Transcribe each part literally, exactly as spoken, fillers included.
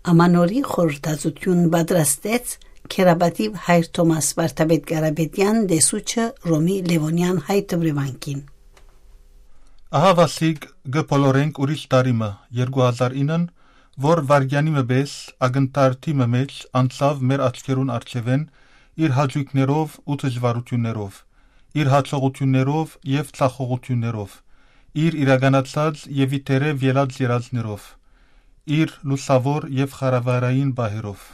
Ամանորի խորհրդածութիւն պատրաստեց Քերապատիւ Հայր Թոմաս Վարդապետ Կարապետեան, տեսուչը Ռոմի Լեւոնեան հայ դպրեվանքին։ Ահա վասիկ կը բոլորենք ուրիշ տարի մը, երկու հազար ինը, որ վարգեանի մը պէս ակնթարթի մը մէջ անցաւ մեր աչքերուն առջեւէն, իր հաճոյքներով ու դժուարութիւններով, իր յաջողութիւններով եւ ձախողութիւններով, իր իրականացած եւ ի դերեւ ելած երազներով, իր լուսաւոր եւ խարավարային պահերով։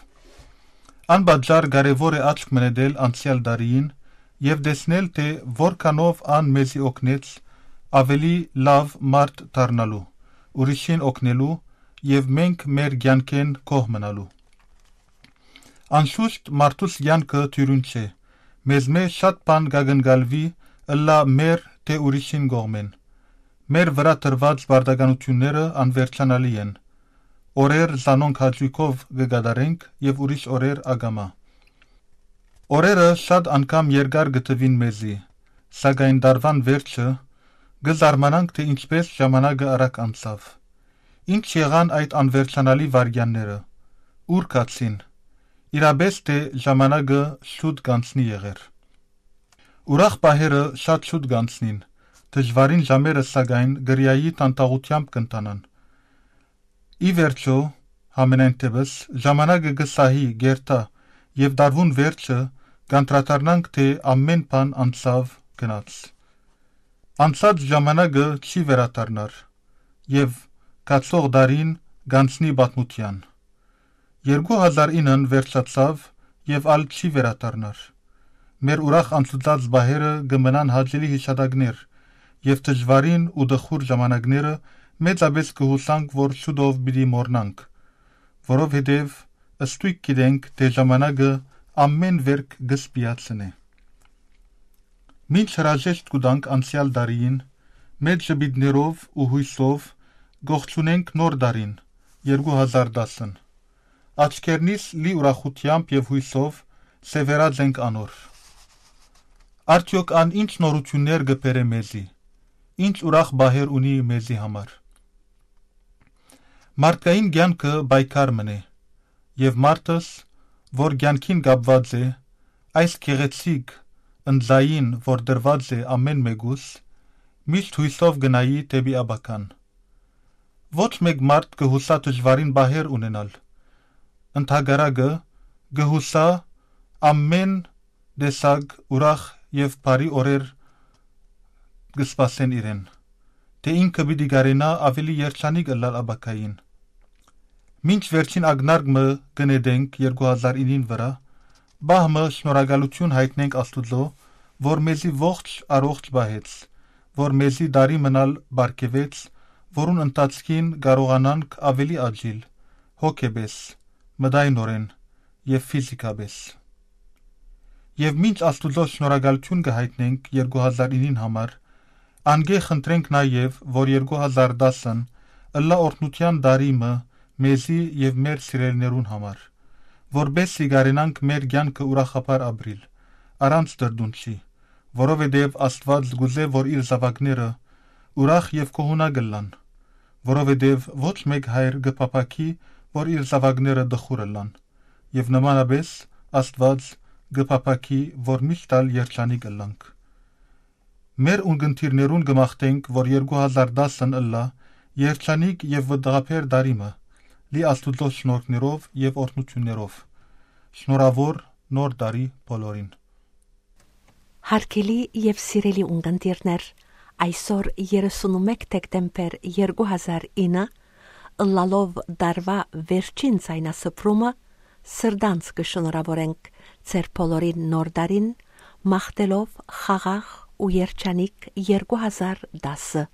Անպատճառ կարեւոր է աչք մը նետել անցեալ տարիին եւ տեսնել, թէ որքանով ան մեզի օգնեց աւելի լաւ մարդ դառնալու, ուրիշին օգնելու եւ մենք մեր կեանքէն գոհ մնալու։ Անշուշտ մարդուս կեանքը դիւրին չէ։ Մեզմէ շատ բան կակնկալուի, ըլլայ մեր թէ ուրիշին կողմէն։ Մեր վրայ դրուած պարտականութիւնները անվերջանալի են։ Օրեր զանոնք հաճոյքով կը կատարենք եւ ուրիշ օրեր ակամայ։ Օրերը շատ անգամ երկար կը թուին մեզի, սակայն տարուան վերջը կը զարմանանք, թէ ինչպէս ժամանակը արագ անցաւ։ Ի՞նչ եղան այդ անվերջանալի վայրկեանները, ո՞ւր գացին։ Իրապէս թէ ժամանակը շուտ կ'անցնի եղեր։ Ուրախ պահերը շատ շուտ կ'անցնին, դժուարին ժամերը սակայն կրիայի դանդաղութեամբ կ'ընթանան։ Ի վերջոյ, համենայն դէպս, ժամանակը կը սահի, կ'երթայ եւ տարուան վերջը կ'անդրադառնանք, թէ ամէն բան անցաւ, գնաց։ Անցած ժամանակը չի վերադառնար եւ գացող տարին կ'անցնի պատմութեան։ Երկու հազար ինը վերջացաւ եւ ալ չի վերադառնար։ Մեր ուրախ անցուդած պահերը կը մնան հաճելի յիշատակներ եւ դժուարին ու տխուր ժամանակները մեծապէս կը յուսանք, որ շուտով պիտի մոռնանք, որովհետեւ ստոյգ գիտենք, թէ ժամանակը ամէն վէրք կը սպիացնէ։ Մինչ հրաժեշտ կու տանք անցեալ տարիին, մեծ ժպիտներով ու յոյսով կ'ողջունենք նոր տարին, երկու հազար տասը։ Աչքերնիս լի ուրախութեամբ եւ յոյսով սեւեռած ենք անոր։ Արդեօք ան ի՞նչ նորութիւններ կը բերէ մեզի, ի՞նչ ուրախ պահեր ունի մեզի համար։ Մարդկային կեանքը պայքար մըն է, եւ մարդս, որ կեանքին կապուած է, այս գեղեցիկ ընծային, որ տրուած է ամէն մէկուս, միշտ յոյսով կը նայի դէպի ապագան։ Ոչ մէկ մարդ կը յուսայ դժուարին պահեր ունենալ։ Ընդհակառակը, կը յուսայ ամէն տեսակ ուրախ եւ բարի օրեր կը սպասեն իրեն, թէ ինքը պիտի կարենայ աւելի երջանիկ ըլլալ ապագային։ Մինչ վերջին ակնարկ մը կը նետենք երկու հազար ինին վրայ, պահ մը շնորհակալութիւն յայտնենք Աստուծոյ, որ մեզի ողջ առողջ պահեց, որ մեզի տարի մըն ալ պարգեւեց, որուն ընթացքին կարողանանք աւելի աճիլ, հոգեպէս, մտայնօրէն եւ ֆիզիքապէս։ Եւ մինչ Աստուծոյ շնորհակալութիւն կը յայտնենք երկու հազար ինին համար, անկէ խնդրենք նաեւ, որ երկու հազար տասը ըլլայ օրհնութեան տարի մը մեզի եւ մեր սիրելիներուն համար, որպէս զի կարենանք մեր կեանքը ուրախաբար ապրիլ, առանց տրտունջի, որովհետեւ Աստուած կ'ուզէ, որ իր զաւակները ուրախ եւ գոհունակ ըլլան, որովհետեւ ոչ մէկ հայր կը փափաքի, որ իր զաւակները տխուր ըլլան, եւ նմանապէս Աստուած կը փափաքի, որ միշտ ալ երջանիկ ըլլանք։ Մեր ունկնդիրներուն կը մաղթենք, որ երկու հազար տասը ըլլայ երջանիկ եւ վտանգաբեր տարի մը, լի Աստուծոյ շնորհքներով եւ օրհնութիւններով։ Շնորհաւոր նոր տարի բոլորին։ Հարգելի եւ սիրելի ունկնդիրներ, այսօր երեսունմէկ դեկտեմբեր երկու հազար ինը, ըլլալով տարուայ վերջին ձայնասփռումը, սրտանց կը շնորհաւորենք ձեր բոլորին նոր տարին, մաղթելով խաղաղ ու երջանիկ երկու հազար տասը։